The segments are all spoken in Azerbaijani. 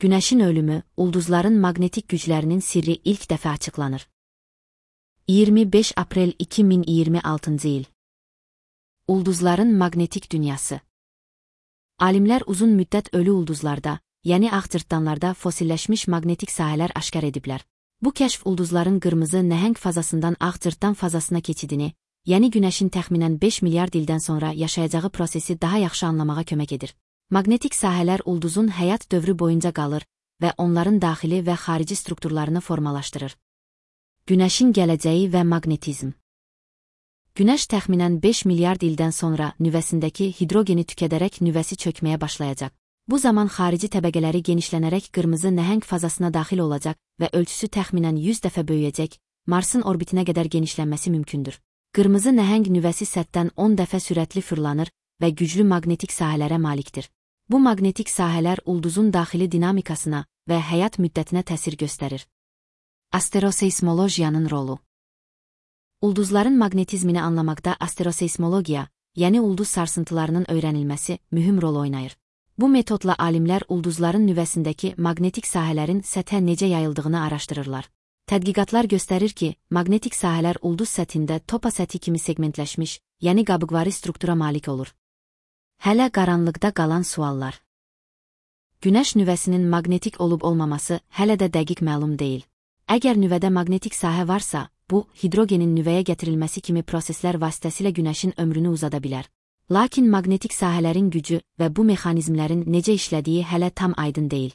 Günəşin ölümü, ulduzların maqnetik güclərinin sirri ilk dəfə açıqlanır. 25 aprel 2026-cı il. Ulduzların maqnetik dünyası. Alimlər uzun müddət ölü ulduzlarda, yəni ağcırtdanlarda fosilləşmiş maqnetik sahələr aşkar ediblər. Bu kəşf ulduzların qırmızı nəhəng fazasından ağcırtdan fazasına keçidini, yəni Günəşin təxminən 5 milyard ildən sonra yaşayacağı prosesi daha yaxşı anlamağa kömək edir. Maqnetik sahələr ulduzun həyat dövrü boyunca qalır və onların daxili və xarici strukturlarını formalaşdırır. Günəşin gələcəyi və maqnetizm. Günəş təxminən 5 milyard ildən sonra nüvəsindəki hidrogeni tükədərək nüvəsi çökməyə başlayacaq. Bu zaman xarici təbəqələri genişlənərək qırmızı nəhəng fazasına daxil olacaq və ölçüsü təxminən 100 dəfə böyüyəcək, Marsın orbitinə qədər genişlənməsi mümkündür. Qırmızı nəhəng nüvəsi səthdən 10 dəfə sürətli fırlanır və güclü maqnetik sahələrə malikdir. Bu maqnetik sahələr ulduzun daxili dinamikasına və həyat müddətinə təsir göstərir. Asteroseismologiyanın rolu. Ulduzların maqnetizmini anlamaqda asteroseismologiya, yəni ulduz sarsıntılarının öyrənilməsi mühüm rol oynayır. Bu metodla alimlər ulduzların nüvəsindəki maqnetik sahələrin səthə necə yayıldığını araşdırırlar. Tədqiqatlar göstərir ki, maqnetik sahələr ulduz səthində topa səthi kimi segmentləşmiş, yəni qabıqvari struktura malik olur. Hələ qaranlıqda qalan suallar. Günəş nüvəsinin maqnetik olub-olmaması hələ də dəqiq məlum deyil. Əgər nüvədə maqnetik sahə varsa, bu, hidrogenin nüvəyə gətirilməsi kimi proseslər vasitəsilə Günəşin ömrünü uzada bilər. Lakin maqnetik sahələrin gücü və bu mexanizmlərin necə işlədiyi hələ tam aydın deyil.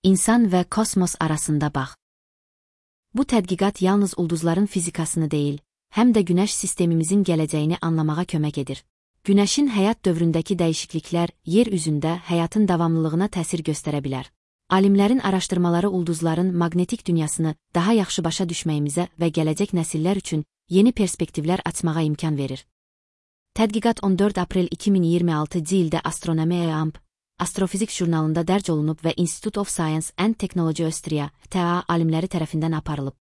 İnsan və kosmos arasında bağ. Bu tədqiqat yalnız ulduzların fizikasını deyil, həm də Günəş sistemimizin gələcəyini anlamağa kömək edir. Günəşin həyat dövründəki dəyişikliklər yer üzündə həyatın davamlılığına təsir göstərə bilər. Alimlərin araşdırmaları ulduzların maqnetik dünyasını daha yaxşı başa düşməyimizə və gələcək nəsillər üçün yeni perspektivlər açmağa imkan verir. Tədqiqat 14 aprel 2026-cı ildə Astronomy and Astrofizik jurnalında dərc olunub və Institute of Science and Technology Austria (TA) alimləri tərəfindən aparılıb.